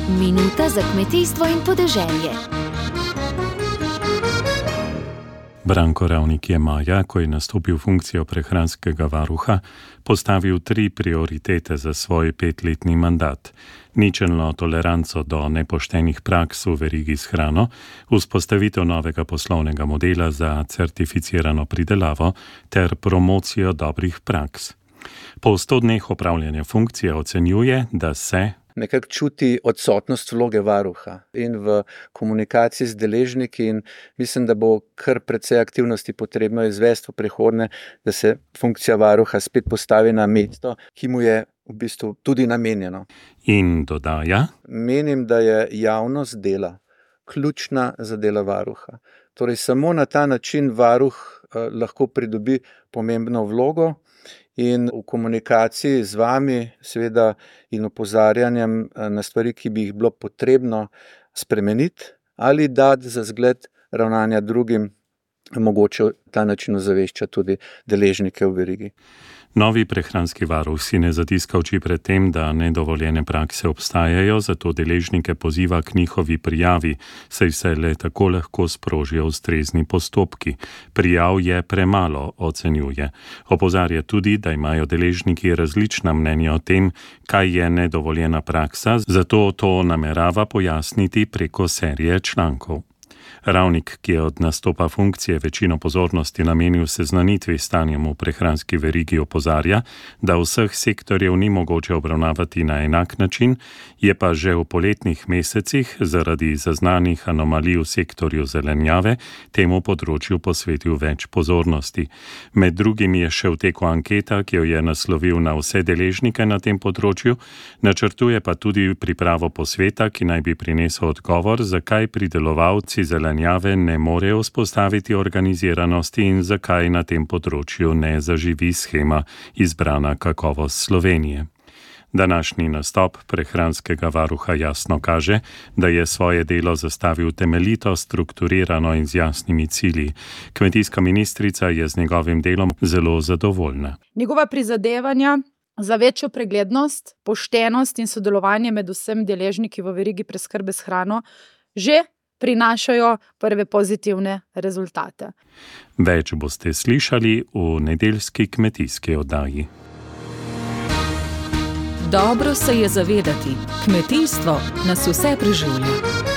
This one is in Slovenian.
Minuta za kmetijstvo in podeželje. Branko Ravnik je maja, ko je nastopil funkcijo prehranskega varuha, postavil 3 prioritete za svoj 5-letni mandat. Ničelno toleranco do nepoštenih praks v verigi s hrano, vzpostavitev novega poslovnega modela za certificirano pridelavo ter promocijo dobrih praks. Po 100 dneh opravljanja funkcije ocenjuje, da se nekako čuti odsotnost vloge varuha in v komunikaciji z deležniki in mislim, da bo kar precej aktivnosti potrebno izvesti v prihodnje, da se funkcija varuha spet postavi na mesto, ki mu je v bistvu tudi namenjeno. In dodaja: Menim, da je javnost dela ključna za delo varuha. Torej samo na ta način varuh lahko pridobi pomembno vlogo in v komunikaciji z vami seveda in opozarjanjem na stvari, ki bi jih bilo potrebno spremeniti ali dati za zgled ravnanja drugim, mogoče ta način ozavešča tudi deležnike v verigi. Novi prehranski varuh si ne zatiska oči pred tem, da nedovoljene prakse obstajajo, zato deležnike poziva k njihovi prijavi, saj se le tako lahko sprožijo ustrezni postopki. Prijav je premalo, ocenjuje. Opozarja tudi, da imajo deležniki različna mnenja o tem, kaj je nedovoljena praksa, zato to namerava pojasniti preko serije člankov. Ravnik, ki je od nastopa funkcije večino pozornosti namenil seznanitvi s stanjem v prehranski verigi, opozarja, da vseh sektorjev ni mogoče obravnavati na enak način, je pa že v poletnih mesecih zaradi zaznanih anomalij v sektorju zelenjave temu področju posvetil več pozornosti. Med drugim je še v teku anketa, ki jo je naslovil na vse deležnike na tem področju, načrtuje pa tudi pripravo posveta, ki naj bi prinesel odgovor, zakaj pridelovalci zelenjave ne morejo vzpostaviti organiziranosti in zakaj na tem področju ne zaživi shema Izbrana kakovost Slovenije. Današnji nastop prehranskega varuha jasno kaže, da je svoje delo zastavil temeljito, strukturirano in z jasnimi cilji. Kmetijska ministrica je z njegovim delom zelo zadovoljna. Njegova prizadevanja za večjo preglednost, poštenost in sodelovanje med vsemi deležniki v verigi preskrbe s hrano že prinašajo prve pozitivne rezultate. Več boste slišali v nedeljski kmetijski oddaji. Dobro se je zavedati, kmetijstvo nas vse preživlja.